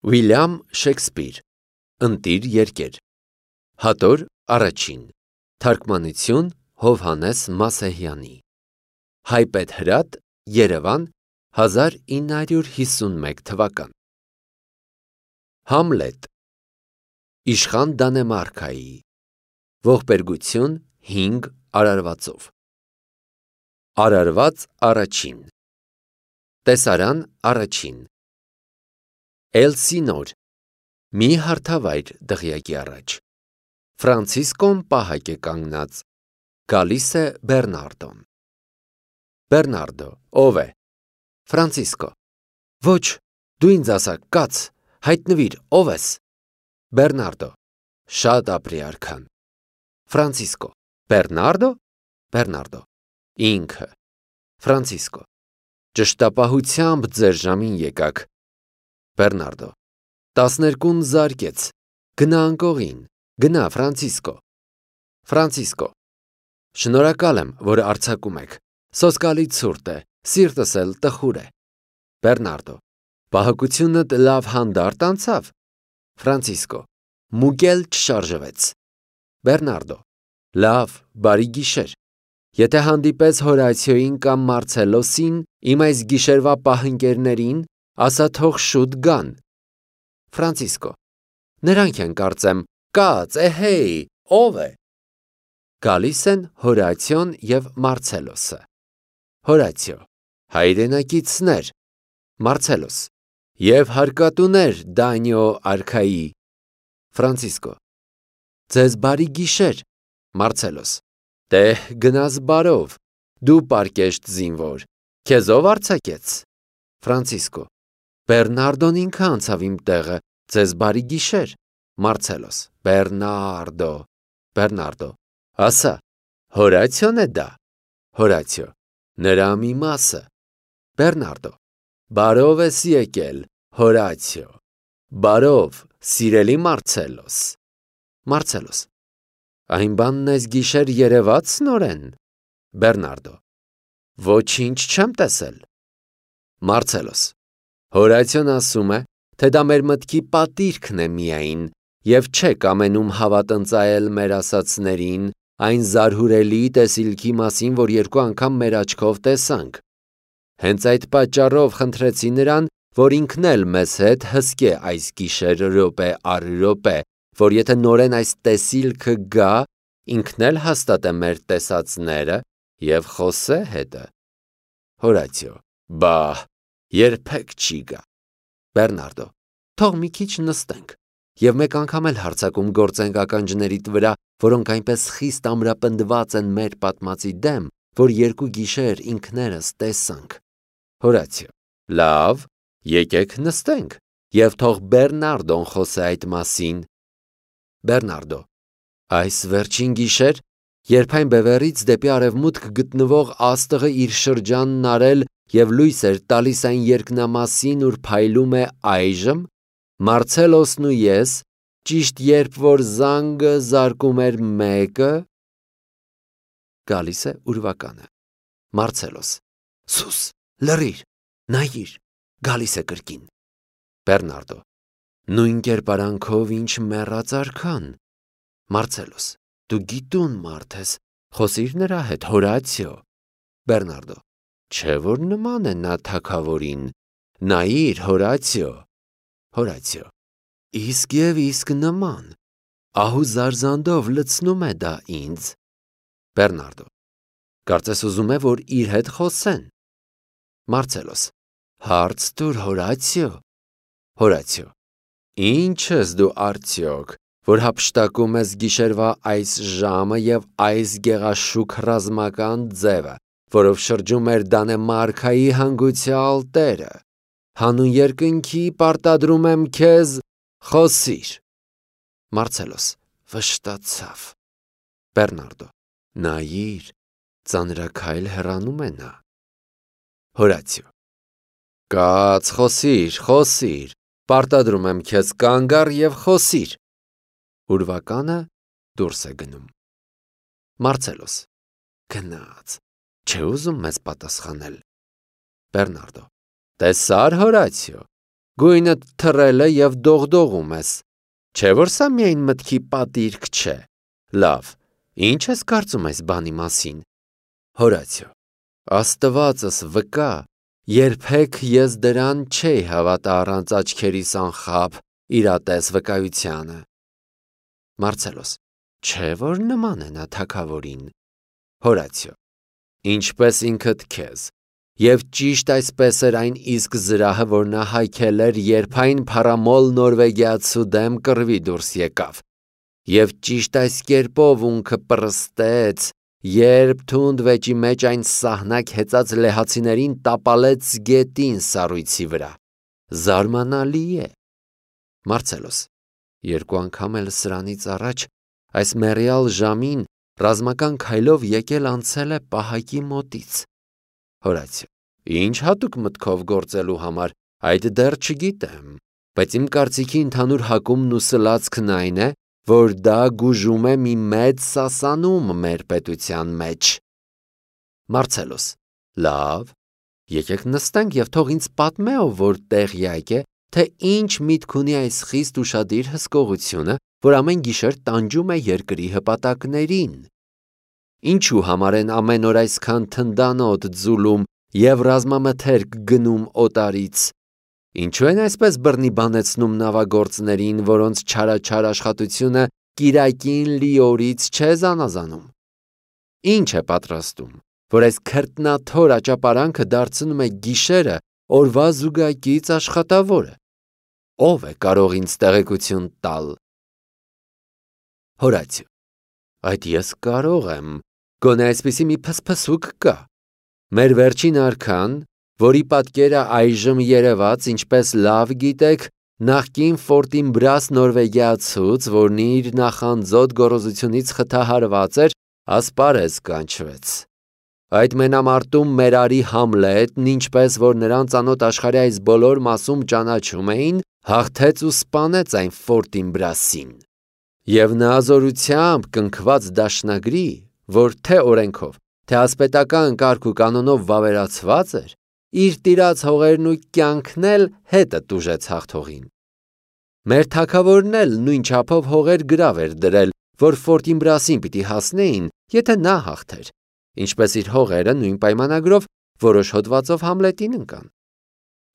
Ուիլյամ Շեքսպիր Ընտիր երկեր Հատոր առաջին Թարգմանություն Հովհաննես Մասեհյանի Հայպետ Հրատ Երևան 1951 թվական Համլետ Իշխան Դանեմարքայի Ողբերգություն 5 արարվածով Արարված առաջին Տեսարան առաջին Էլսինոր Մի հարթավայր դղյակի առաջ Ֆրանցիսկոն պահակ է կանգնած Գալիս է Բեռնարդոն Բեռնարդո ով է Ֆրանցիսկո Ոչ դու ինձ ասա կաց հայտնվիր ով ես Բեռնարդո Շատ ապրի արքան Ֆրանցիսկո Բեռնարդո Բեռնարդո Ինքը Ֆրանցիսկո Ճշտապահությամբ ձեր ժամին եկաք Բեռնարդո 12-ն զարկեց գնա անկողին գնա Ֆրանցիսկո Ֆրանցիսկո Շնորհակալ եմ որ արձակում եք սոսկալի ցուրտ է սիրտս էլ տխուր է Բեռնարդո Պահակությունդ լավ հանդարտ անցավ Ֆրանցիսկո Մուկել չշարժվեց Բեռնարդո Լավ բարի գիշեր Եթե հանդիպես Հորացիոին կամ Մարցելոսին իմ այս գիշերվա պահընկերներին ասա թող շուտ գան Ֆրանցիսկո Նրանք են կարծեմ կաց էհեյ ով է Գալիս են Հորացիոն և Մարցելոսը Հորացիո Հայրենակիցներ Մարցելոս Եվ հարկատուներ Դանիո արքայի Ֆրանցիսկո Ձեզ բարի գիշեր Մարցելոս Տեհ գնաս բարով դու պարկեշտ զինվոր քեզով արձակեց Ֆրանցիսկո Բեռնարդոն ինքը անցավ իմ տեղը ձեզ բարի գիշեր Մարցելոս Բեռնարդո Բեռնարդո ասա Հորացիոն է դա Հորացիո նրա մի մասը Բեռնարդո բարով ես եկել Հորացիո բարով սիրելի Մարցելոս Մարցելոս Այն բանն ես գիշեր երևաց նորեն Բեռնարդո Ոչինչ չեմ տեսել Մարցելոս Հորացիոն ասում է, թե դա մեր մտքի պատիրքն է միայն և չեք ամենում հավատնծայել մեր ասածներին այն զարհուրելի տեսիլքի մասին, որ երկու անգամ մեր աչքով տեսանք։ Հենց այդ պատճառով խնդրեցի նրան, որ ինքն էլ մեզ հետ հսկե այս գիշեր րոպե առ րոպե, որ եթե նորեն այս տեսիլքը գա, ինքն էլ հաստատե մեր տեսածները և խոսե հետը։ Հորացիո Բահ երբեք չի գա Բեռնարդո Թող մի քիչ նստենք և մեկ անգամ էլ հարձակում գործենք ականջներիդ վրա, որոնք այնպես խիստ ամրապնդված են մեր պատմածի դեմ, որ երկու գիշեր ինքներս տեսանք։ Հորացիո Լավ, եկեք նստենք և թող Բեռնարդոն խոսե այդ մասին։ Բեռնարդո Այս վերջին գիշեր, երբ այն բևեռից դեպի արևմուտք գտնվող աստղը իր շրջանն արել և լույս էր տալիս այն երկնամասին, ուր փայլում է այժմ, Մարցելոսն ու ես, ճիշտ երբ որ զանգը զարկում էր մեկը, գալիս է ուրվականը, Մարցելոս, Սուս, լռիր, նայիր, գալիս է կրկին, Բեռնարդո, նույն կերպարանքով ինչ մեռած արքան, Մարցելոս, դու գիտուն մարդ ես, խոսիր նրա հետ, Հորացիո, Բեռնարդո, չէ որ նման է նա թագավորին, նայիր, Հորացիո, Հորացիո, իսկ և իսկ նման, ահու զարզանդով լցնում է դա ինձ, Բեռնարդո, կարծես ուզում է, որ իր հետ խոսեն, Մարցելոս, հարց տուր, Հորացիո, Հորացիո, ինչ ես դու արդյոք, որ հափշտակում ես գիշերվա այս ժամը և այս գեղաշուք ռազմական ձևը, որով շրջում էր Դանեմարքայի հանգուցյալ տերը, հանուն երկնքի պարտադրում եմ քեզ, խոսիր, Մարցելոս, վշտացավ, Բեռնարդո, նայիր, ծանրաքայլ հեռանում է նա, Հորացիո, կաց, խոսիր, պարտադրում եմ քեզ կանգ առ և խոսիր, ուրվականը դուրս է գնում, Մարցելոս, գնաց, չէ ուզում մեզ պատասխանել, Բեռնարդո, տեսար Հորացիո, Գույնդ թռել է և դողդողում ես, չէ որ սա միայն մտքի պատիրք չէ, լավ, ինչ ես կարծում այս բանի մասին, Հորացիո, Աստվածս վկա, երբեք ես դրան չէի հավատա առանց աչքերիս անխափ իրատես վկայությանը, Մարցելոս, չէ որ նման է նա թագավորին, Հորացիո, ինչպես ինքդ քեզ, և ճիշտ այսպես էր այն իսկ զրահը, որ նա հայքել էր, երբ այն փառամոլ նորվեգիացու դեմ կռվի դուրս եկավ, և ճիշտ այս կերպով ունքը պռստեց, երբ թունդ վեճի մեջ այն սահնակ հեծած լեհացիներին տապալեց գետին սառույցի վրա, զարմանալի է, Մարցելոս, երկու անգամ էլ սրանից առաջ, այս մեռյալ ժամին, ռազմական քայլով եկել անցել է պահակի մոտից, Հորացիո, ինչ հատուկ մտքով գործելու համար, այդ դեռ չգիտեմ, բայց իմ կարծիքի ընդհանուր հակումն ու սլացքն այն է, որ դա գուժում է մի մեծ սասանում մեր պետության մեջ, Մարցելոս, լավ, եկեք նստենք և թող ինձ պատմե, ով որ տեղյակ է, թե ինչ միտք ունի այս խիստ ուշադիր հսկողությունը, որ ամեն գիշեր տանջում է երկրի հպատակներին, ինչու համար են ամեն օր այսքան թնդանոտ ձուլում և ռազմամթերք գնում օտարից, ինչու են այսպես բռնի բանեցնում նավագործներին, որոնց չարաչար աշխատությունը կիրակին լիորից չէ զանազանում, ինչ է պատրաստում, որ այս քրտնաթոր աճապարանքը դարձնում է գիշերը օրվա զուգակից աշխատավորը, ով է կարող ինձ տեղեկություն տալ, Հորացիո, այդ ես կարող եմ, գոնե այսպիսի մի փսփսուկ կա, մեր վերջին արքան, որի պատկերը այժմ երևաց, ինչպես լավ գիտեք, նախկին Ֆորտինբրաս նորվեգիացուց, որն իր նախանձոտ գոռոզությունից խթահարված էր, ասպարեզ կանչվեց, այդ մենամարտում մեր արի Համլետն, ինչպես որ նրան ծանոթ աշխարհի այս բոլոր մասում ճանաչում էին, հաղթեց ու սպանեց այն Ֆորտինբրասին, և նա զորությամբ կնքված դաշնագրի, որ թե օրենքով, թե ասպետական կարգ ու կանոնով վավերացված էր, իր տիրած հողերն ու կյանքն էլ հետը տուժեց հաղթողին, մեր թագավորն էլ նույն չափով հողեր գրավ էր դրել, որ Ֆորտինբրասին պիտի հասնեին, եթե նա հաղթեր, ինչպես իր հողերը նույն պայմանագրով որոշ հոդվածով Համլետին ընկան,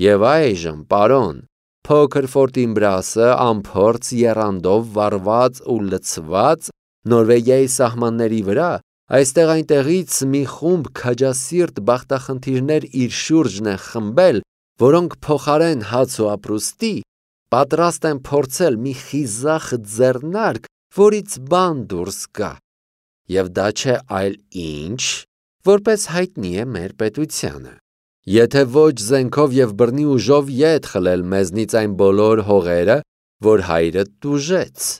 և այժմ, պարոն, փոքր Ֆորտինբրասը անփորձ եռանդով վառված ու լցված Նորվեգիայի սահմանների վրա, այստեղ այնտեղից մի խումբ քաջասիրտ բախտախնդիրներ իր շուրջն են խմբել, որոնք փոխարեն հաց ու ապրուստի, պատրաստ են փորձել մի խիզախ ձեռնարկ, որից բան դուրս գա, և դա չէ այլ ինչ, որպես հայտնի է մեր պետությանը, եթե ոչ զենքով և բռնի ուժով ետ խլել մեզնից այն բոլոր հողերը, որ հայրդ տուժեց,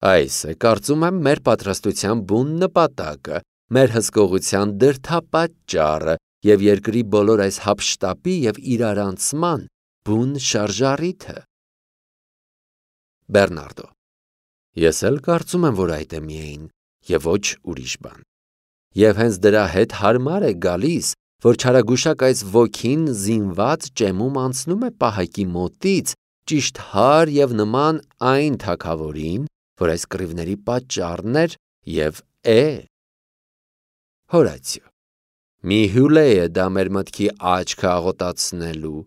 այս է, կարծում եմ, մեր պատրաստության բուն նպատակը, մեր հսկողության դրդապատճառը և երկրի բոլոր այս հափշտապի և իրարանցման բուն շարժառիթը, Բեռնարդո, ես էլ կարծում եմ, որ այդ է միայն և ոչ ուրիշ բան, և հենց դրա հետ հարմար է գալիս, որ չարագուշակ այս ոգին զինված ճեմում անցնում է պահակի մոտից, ճիշտ հար և նման այն թագավորին, որ այս կռիվների պատճառն էր և է, Հորացիո, մի հյուլե է դա մեր մտքի աչքը աղոտացնելու,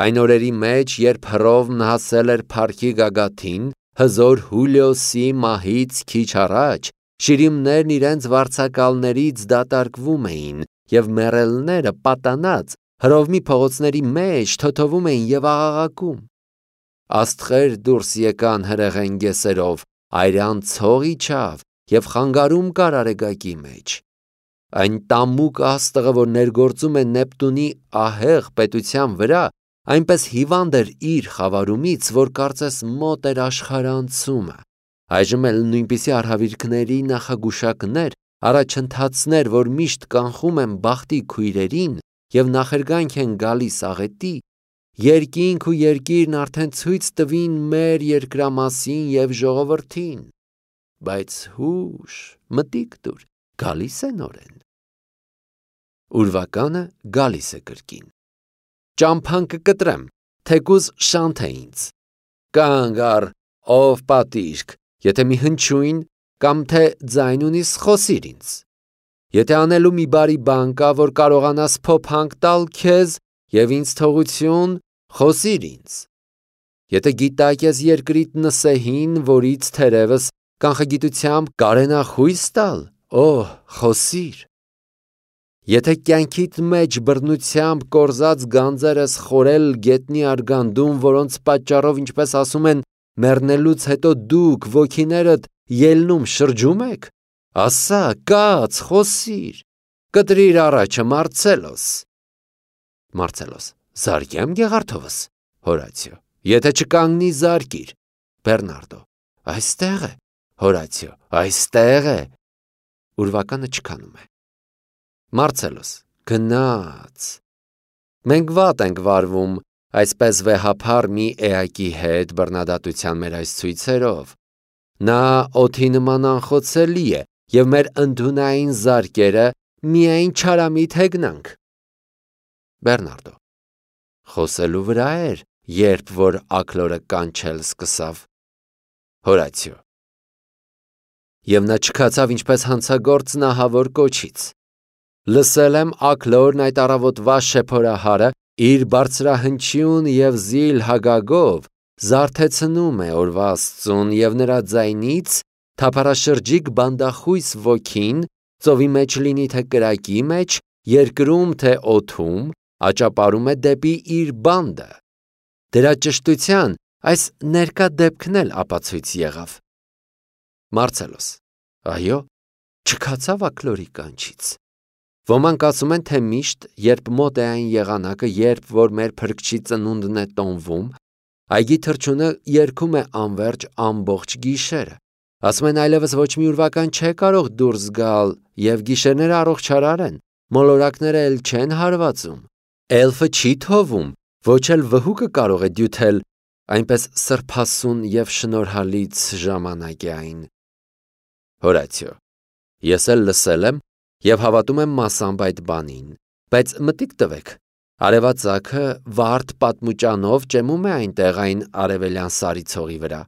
այն օրերի մեջ, երբ Հռովմն հասել էր փառքի գագաթին, հզոր Հուլիոսի մահից քիչ առաջ, շիրիմներն իրենց վարձակալներից դատարկվում էին, և մեռելները պատանած Հռովմի փողոցների մեջ թոթովում էին և աղաղակում, աստղեր դուրս եկան հրեղեն գեսերով, այրան ցող իջավ և խանգարում կար արեգակի մեջ, այն տամուկ աստղը, որ ներգործում է Նեպտունի ահեղ պետության վրա, այնպես հիվանդ էր իր խավարումից, որ կարծես մոտ էր աշխարհանցումը, այժմ էլ նույնպիսի արհավիրքների նախագուշակներ, առաջընթացներ, որ միշտ կանխում են բախտի քույրերին և նախերգանք են գալիս աղետի, երկինք ու երկիրն արդեն ցույց տվին մեր երկրամասին և ժողովրդին, բայց հուշ, մտիկ տուր, գալիս է նորեն, ուրվականը գալիս է կրկին, ճամփան կկտրեմ, թեկուզ շանթ է ինձ։ Կանգ առ, ով պատիրք, եթե մի հնչյուն կամ թե ձայն ունիս, խոսիր ինձ։ Եթե անելու մի բարի բան կա, որ կարողանաս փոփանք տալ քեզ եւ ինձ թողություն, խոսիր ինձ։ Եթե գիտակ ես երկրիդ նսեհին, որից թերևս կանխագիտությամբ կարենա խույս տալ, խոսիր։ Եթե կյանքիդ մեջ բռնությամբ կորզած գանձեր ես խորել գետնի արգանդում, որոնց պատճառով, ինչպես ասում են, մեռնելուց հետո դուք ոգիներդ ելնում շրջում եք, ասա, կաց, խոսիր, կտրիր առաջը, Մարցելոս։ Մարցելոս. Զարգեմ Գեղարդովս։ Հորացիո. Եթե չկանգնի, զարկիր։ Բեռնարդո. Այստեղ է։ Հորացիո. Այստեղ է։ Ուրվականը չքանում է։ Մարցելոս. Գնաց։ Մենք վատ ենք վարվում, այսպես վեհափառ մի էակի հետ բռնադատության մեր այս ցույցերով։ Նա օդի նման անխոցելի է, և մեր ընդունային զարկերը միայն չարամիտ հեգնանք։ Բեռնարդո. Խոսելու վրա էր, երբ որ աքլորը կանչել սկսավ։ Հորացիո. Եվ նա չքացավ ինչպես հանցագործ նահավոր կոչից։ Լսել եմ աքլորն այդ առավոտվա շեփորահարը իր բարձրահնչյուն և զիլ հագագով զարթեցնում է օրվա Աստծուն և նրա ձայնից թափառաշրջիկ բանդախույս ոգին, ծովի մեջ լինի թե կրակի մեջ, երկրում թե օդում, աճապարում է դեպի իր բանդը։ Դրա ճշտության այս ներկա դեպքն էլ ապացույց եղավ։ Մարցելոս. Այո, չքացավ աքլորի կանչից։ Ոմանք ասում են, թե միշտ, երբ մոտ է այն եղանակը, երբ որ մեր Փրկչի ծնունդն է տոնվում, այգի թռչունը երգում է անվերջ ամբողջ գիշերը։ Ասում են այլևս ոչ մի ուրվական չէ կարող դուրս գալ, և գիշերները առողջարար են, մոլորակները էլ չեն հարվածում, էլֆը չի թովում, ոչ էլ վհուկը կարող է դյութել, այնպես սրբասուն և շնորհալից ժամանակ է այն։ Հորացիո. Ես էլ լսել եմ և հավատում եմ մասամբ այդ բանին, բայց մտիկ տվեք, արևածագը վարդ պատմուճանով ճեմում է այնտեղ այն արևելյան սարի ցողի վրա։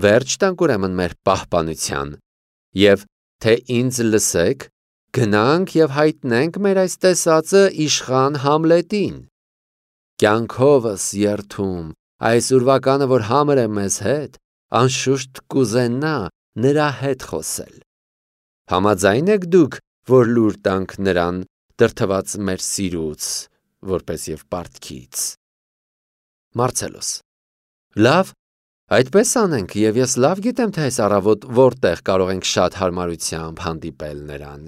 Վերջ տանք ուրեմն մեր պահպանության, և թե ինձ լսեք, գնանք և հայտնենք մեր այս տեսածը իշխան Համլետին։ Կյանքովս երդում, այս ուրվականը, որ համր է մեզ հետ, անշուշտ կուզենա նրա հետ խոսել։ Համաձայն եք դուք, որ լուր տանք նրան, դրդված մեր սիրուց, որպես և պարտքից։ Մարցելոս. Լավ, այդպես անենք, և ես լավ գիտեմ, թե այս առավոտ որտեղ կարող ենք շատ հարմարությամբ հանդիպել նրան։